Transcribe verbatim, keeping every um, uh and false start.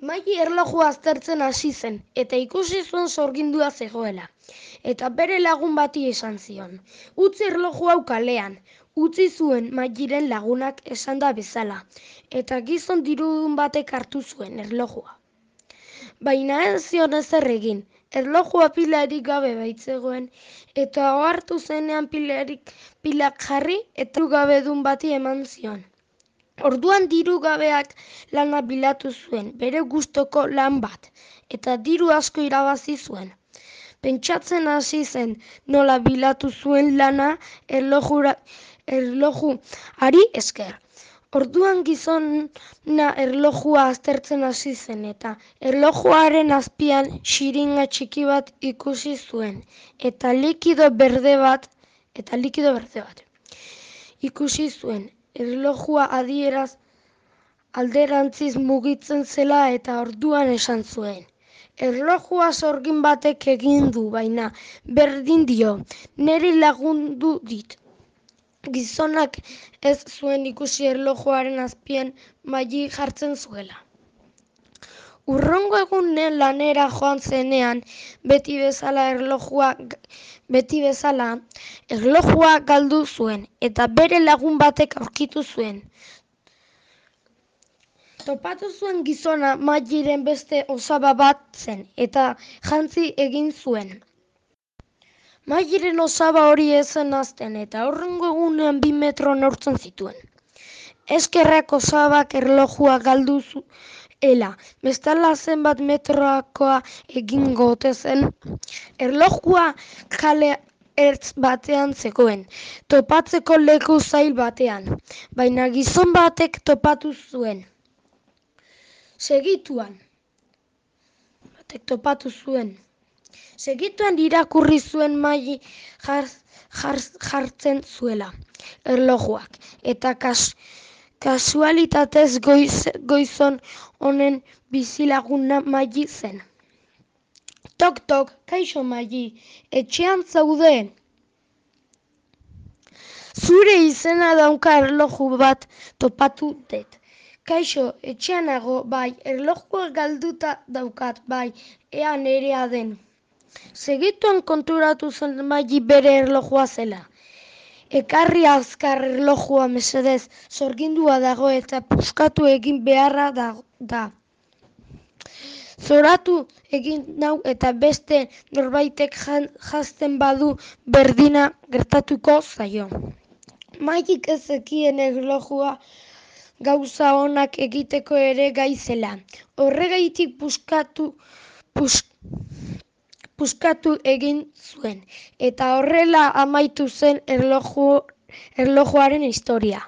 Maili erlojua aztertzen hasi zen, eta ikusi zuen sorgindua zegoela. Eta bere lagun bati esan zion. Utzi erloju hau kalean, utzi zuen Mailiren lagunak esanda bezala, eta gizon dirudun batek hartu zuen erlojua. Baina ez zion ezer egin, erlojua pilarik gabe baitzegoen, eta ohartu zenean pilarik pilak jarri eta gabedun bati eman zion. Orduan diru gabeak lana bilatu zuen, bere gustoko lan bat, eta diru asko irabazi zuen. Pentsatzen hasi zen nola bilatu zuen lana erlojura, erlojuari esker. Orduan gizona erlojua aztertzen hasi zen, eta erlojuaren azpian xiringa txiki bat ikusi zuen, eta likido berde bat, eta likido berde bat. Ikusi zuen, erlojua adieraz alderantziz mugitzen zela eta orduan esan zuen. Erlojua sorgin batek egin du, baina berdin dio, niri lagundu dit. Gizonak ez zuen ikusi erlojuaren azpian Maili jartzen zuela. Urrongo egunen lanera joan zenean, beti bezala erlojua beti bezala erlojua galdu zuen eta bere lagun batek aurkitu zuen. Topatu zuen gizona Mailiren beste osaba bat zen eta jantzi egin zuen. Mailiren osaba hori ez zen hazten eta urrengo egunean bi metro neurtzen zituen. Eskerrak osabak erlojua galdu zuela, bestela zenbat metroakoa egingo ote zen. Erlojua kale ertz batean zegoen, topatzeko leku zail batean, baina gizon batek topatu zuen. Segituan, batek topatu zuen. Segituan irakurri zuen Maili jar, jar, jartzen zuela erlojuak, eta kas, kasualitatez goiz, goizon honen bizilaguna Maili zen. Tok, tok, kaixo Maili, etxean zaude? Zure izena dauka erloju bat topatu dut. Kaixo, etxean nago, bai, erlojua galduta daukat, bai, ea nerea den. Segituan konturatu zen Maili bere erlojua zela. Ekarri azkar erlojua mesedez, sorgindua dago eta puskatu egin beharra da. da. Zoratu egin nau eta beste norbaitek jazten badu berdina gertatuko zaio. Mailik ez zekien erlojua gauza onak egiteko ere gai zela. Horregaitik puskatu, pus, puskatu egin zuen, eta horrela amaitu zen erloju, erlojuaren historia.